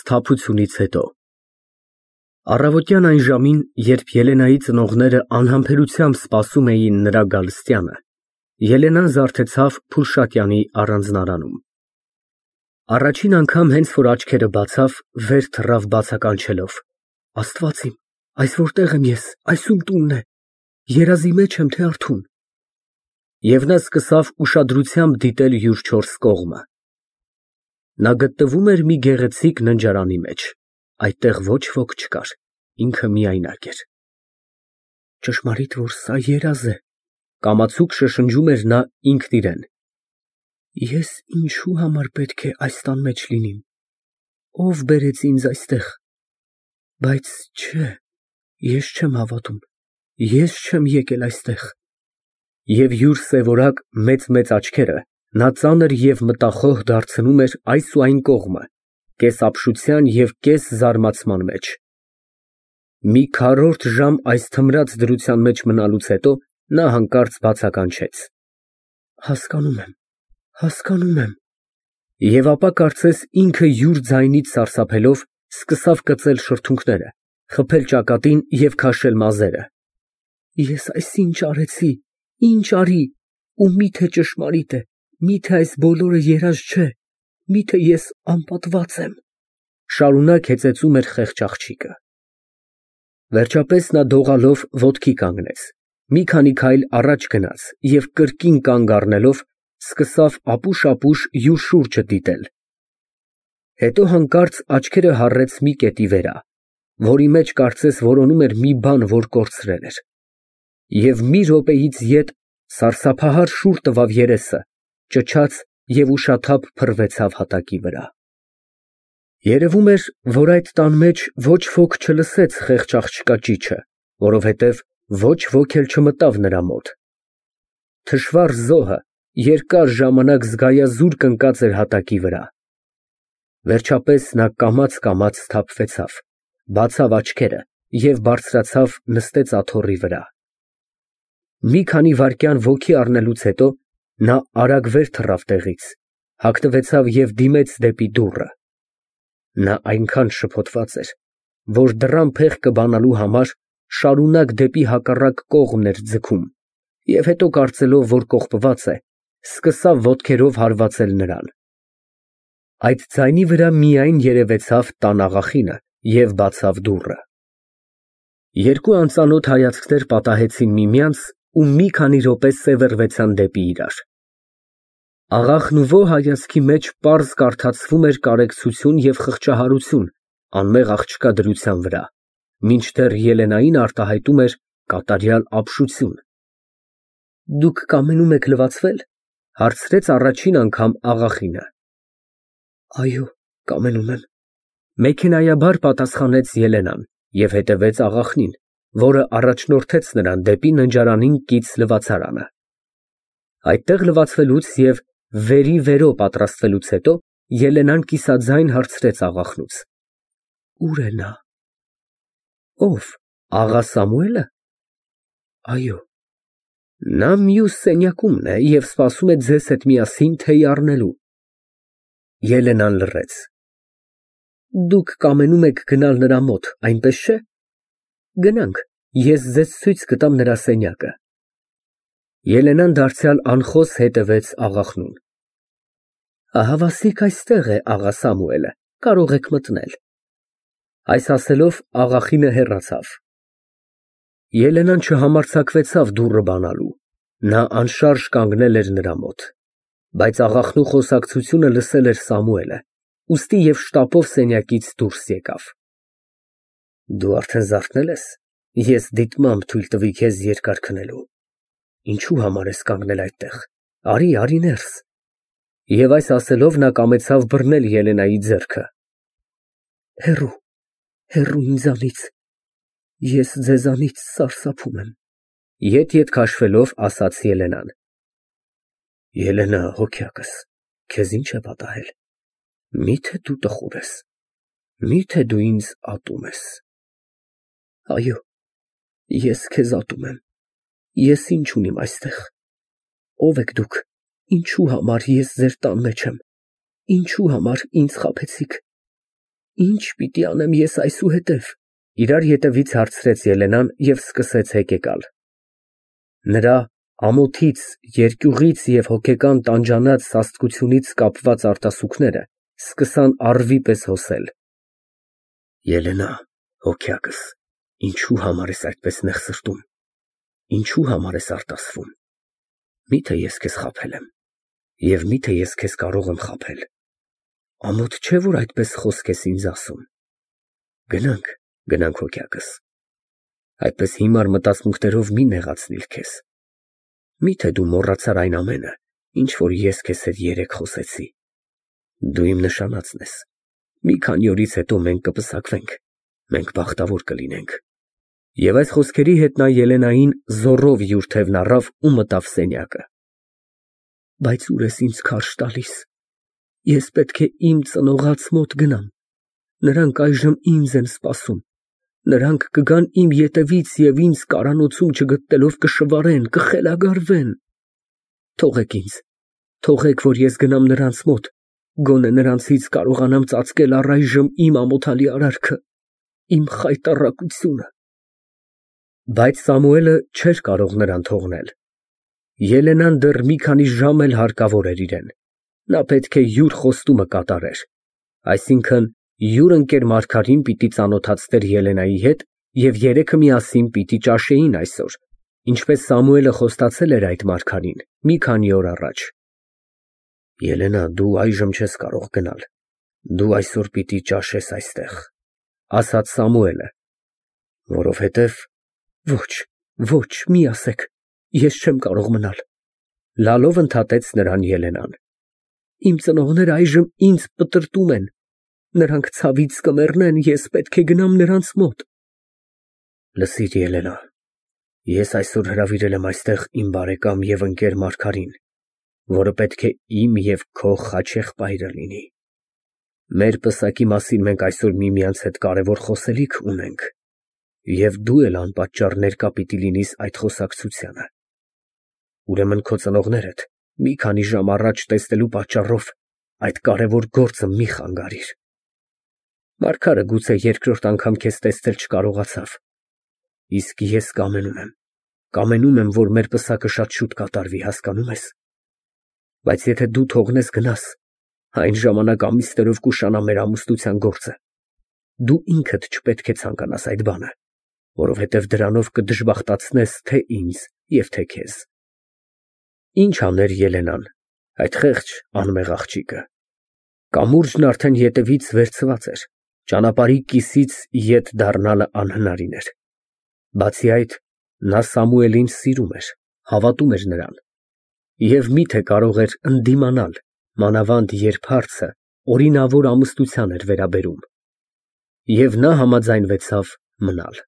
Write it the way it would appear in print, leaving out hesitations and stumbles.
սթափությունից հետո։ Առավոտյան այն ժամին, երբ Ելենայի ծնողները անհամբերությամբ սպասում էին նրա գալստյանը, Ելենան զարթեցավ Փուլշատյանի առանձնարանում։ Առաջին անգամ հենց որ աչքերը բացավ, վեր թռավ բացականչելով. Աստված իմ, այս որտեղ եմ ես, այս ում տունն է, երազի մեջ եմ, թե արթուն։ Եվ նա սկսավ ուշադրությամբ դիտել յուր չորս կողմը։ Նա գտնվում էր մի գեղեցիկ ննջարանի մեջ, այդտեղ ոչ ոք չկար, ինքը միայնակ էր։ Ճշմարիտ որ սա երազ է, կամացուկ շշնջում էր նա ինքն իրեն։ Ես ինչու համար պետք է այս տան մեջ լինիմ, ով բերեց ինձ այստեղ, բայց չէ, ես չեմ հավատում, ես չեմ եկել այստեղ։ Եվ յուր սևորակ մեծ աչքերը նա ծանր և մտախոհ դարձնում էր այս ու այն կողմը, կես ապշության և կես զարմացման մեջ։ Մի քառորդ ժամ այս թմրած դրության մեջ մնալուց հետո նա հանկարծ բացականչեց. Հասկանում եմ։ Եվ ապա կարծես ինքը յուր ձայնից սարսափելով սկսավ կծել շրթունքները, խփել ճակատին և քաշել մազերը։ Ես այս ինչ արեցի, ինչ արի, ու միթե ճշմարիտ է, միթե այս բոլորը երազ չէ, միթե ես անպատված եմ, շարունակ հեծեծում էր խեղճ աղջիկը։ Վերջապես նա դողալով ոտքի կանգնեց, մի քանի քայլ առաջ գնաց և կրկին կանգ առնելով սկսավ ապուշ-ապուշ յուր շուրջը դիտել։ Հետո հանկարծ աչքերը հառեց մի կետի վրա, որի մեջ կարծես որոնում էր մի բան, որ կորցրել էր։ Եվ մի րոպեից ետ սարսափահար շուռ տվավ երեսը, ճչաց և ուշաթափ փռվեցավ հատակի վրա։ Երևում էր, որ այդ տան մեջ ոչ ոք չլսեց խեղճ աղջկա ճիչը, որովհետև ոչ ոք էլ չմտավ նրա մոտ։ Թշվառ զոհը երկար ժամանակ զգայազուրկ ընկած էր հատակի վրա։ Վերջապես նա կամաց սթափվեցավ, բացավ աչքերը և բարձրացավ նստեց աթոռի վրա։ Մի քանի վայրկյան ոգի առնելուց հետո նա արագ վեր թռավ տեղից, հագնվեցավ և դիմեց դեպի դուռը։ Նա այնքան շփոթված էր, որ դռան փեղկը բանալու համար շարունակ դեպի հակառակ կողմն էր ձգում և հետո կարծելով, որ կողպված է, սկսավ ոտքերով հարվածել նրան։ Այդ ձայնի վրա միայն երևեցավ տան աղախինը և բացավ դուռը։ Երկու անծանոթ հայացքներ պատահեցին միմյանց ու մի քանի րոպե սևեռվեցան դեպի իրար։ Աղախն ու ո հայացքի մեջ պարզ կարդացվում էր կարեկցություն և խղճահարություն անմեղ աղջկա դրության վրա, մինչդեռ Ելենային արտահայտում էր կատարյալ ապշություն։ Դուք կամենում եք լվացվե՞լ, հարցրեց առաջին անգամ աղախինը։ Այո, կամենում եմ, մեքենայաբար պատասխանեց Ելենան և հետևեց աղախնին, որը առաջնորդեց նրան դեպի ննջարանին կից լվացարանը։ Այդտեղ լվացվելուց և վերի վերո պատրաստվելուց հետո Ելենան կիսաձայն հարցրեց աղախնուց. Ո՞ւր է նա։ Ո՞վ, աղա Սամուելը։ Այո։ Նա մյուս սենյակումն է և սպասում է ձեզ հետ միասին թեյ առնելու։ Ելենան լռեց։ Դուք կամենում եք գնալ նրա մոտ, այնպես չէ։ Գնանք, ես ձեզ ցույց կտամ նրա սենյակը։ Ելենան դարձյալ անխոս հետևեց աղախնուն։ Ահավասիկ այստեղ է աղա Սամուելը, կարող եք մտնել։ Այս ասելով աղախինը հեռացավ։ Ելենան չհամարձակվեցավ դուռը բանալու, նա անշարժ կանգնել էր նրա մոտ։ Բայց աղախնու խոսակցությունը լսել էր Սամուելը, ուստի և շտապով սենյակից դուրս եկավ։ Դու արդեն զարթնե՞լ ես, ես դիտմամբ թույլ տվի քեզ երկար քնելու։ Ինչու համար ես կանգնել այդտեղ, արի ներս։ Եվ այս ասելով նա կամեցավ բռնել Ելենայի ձեռքը։ Հեռու ինձանից, ես ձեզանից սարսափում եմ, ետ քաշվելով ասաց Ելենան։ Ելենա, հոգյակս, քեզ ինչ է պատահել։ Միթե դու տխուր ես, միթե դու ինձ ատում ես։ Այո, ես քեզ ատում եմ, ես ինչ ունիմ այստեղ։ Ո՞վ եք դուք, ինչու համար ես ձեր տան մեջ եմ, ինչու համար ինձ խաբեցիք։ Ինչ պիտի անեմ ես այսուհետև։ Իրար ետևից հարցրեց Ելենան և սկսեց հեկեկալ։ Նրա ամոթից, երկյուղից և հոգեկան տանջանած սաստկությունից կապված արտասուքները սկսան առվի պես հոսել։ Ելենա, հոգյակս, ինչու համար ես այդպես նեղսրտում, ինչու համար ես արտասվում, միթե ես քեզ խաբել եմ, և միթե ես քեզ կարող եմ խաբել, ամոթ չէ, որ այդպես խոսք ես ինձ ասում, գնանք հոգյակս, այդպես հիմար մտածմունքներով մի նեղացնիլ քեզ, միթե դու մոռացար այն ամենը, ինչ որ ես քեզ հետ երեկ խոսեցի, դու իմ նշանածն ես, մի քանի օրից հետո մենք կպսակվենք, մենք բախտավոր կլինենք։ Եվ այս խոսքերի հետ նա Ելենային զոռով յուր թևն առավ ու մտավ սենյակը։ Բայց ուր ես ինձ քարշ տալիս, ես պետք է իմ ծնողաց մոտ գնամ, նրանք այժմ ինձ են սպասում, նրանք կգան իմ ետևից և ինձ կարանոցում չգտնելով կշվարեն, կխելագարվեն։ Թողեք ինձ, թողեք, որ ես գնամ նրանց մոտ, գոնե նրանցից կարողանամ ծածկել առայժմ իմ ամոթալի արարքը, իմ խայտառակությունը։ Բայց Սամուելը չէր կարող նրան թողնել։ Ելենան դեռ մի քանի ժամ էլ հարկավոր էր իրեն։ Նա պետք է յուր խոստումը կատարեր, այսինքն յուր ընկեր Մարգարին պիտի ծանոթացներ Ելենայի հետ և երեքը միասին պիտի ճաշեին այսօր, ինչպես Սամուելը խոստացել էր այդ Մարգարին մի քանի օր առաջ։ Ելենա, դու այժմ չես կարող գնալ, դու այսօր պիտի ճաշես այստեղ, ասաց Սամուելը, որովհետև ոչ, մի ասեք, ես չեմ կարող մնալ, լալով ընդհատեց նրան Ելենան։ Իմ ծնողները այժմ ինձ պտրտում են, նրանք ցավից կմեռնեն, ես պետք է գնամ նրանց մոտ։ Լսիր, Ելենա, ես այսօր հրավիրել եմ այստեղ իմ բարեկամ և ընկեր Մարգարին, որը պետք է իմ և քո խաչեղբայրը լինի։ Մեր պսակի մասին մենք այսօր միմյանց հետ կարևոր խոսելիք ունենք, և դու էլ անպատճառ ներկա պիտի լինիս այդ խոսակցությանը։ Ուրեմն քո ծնողներդ մի քանի ժամ առաջ տեսնելու պատճառով այդ կարևոր գործը մի խանգարիր։ Մարգարը գուցե երկրորդ անգամ քեզ տեսնել չկարողացավ, իսկ ես կամենում եմ, որ մեր պսակը շատ շուտ կատարվի, հասկանում ես։ Բայց եթե դու թողնես գնաս, այն ժամանակ ամիսներով կուշանա մեր ամուսնության գործը։ Դու ինքդ չպետք է ցանկանաս այդ բանը, որովհետև դրանով կդժբախտացնես թե ինձ և թե քեզ։ Ինչ աներ Ելենան, այդ խեղճ անմեղ աղջիկը։ Կամուրջն արդեն ետևից վերցված էր, ճանապարհի կիսից ետ դառնալը անհնարին էր։ Բացի այդ, նա Սամուելին սիրում էր, հավատում էր նրան։ Եվ միթե կարող էր ընդդիմանալ, մանավանդ երբ հարցը օրինավոր ամուսնության էր վերաբերում։ Եվ նա համաձայնվեցավ մնալ։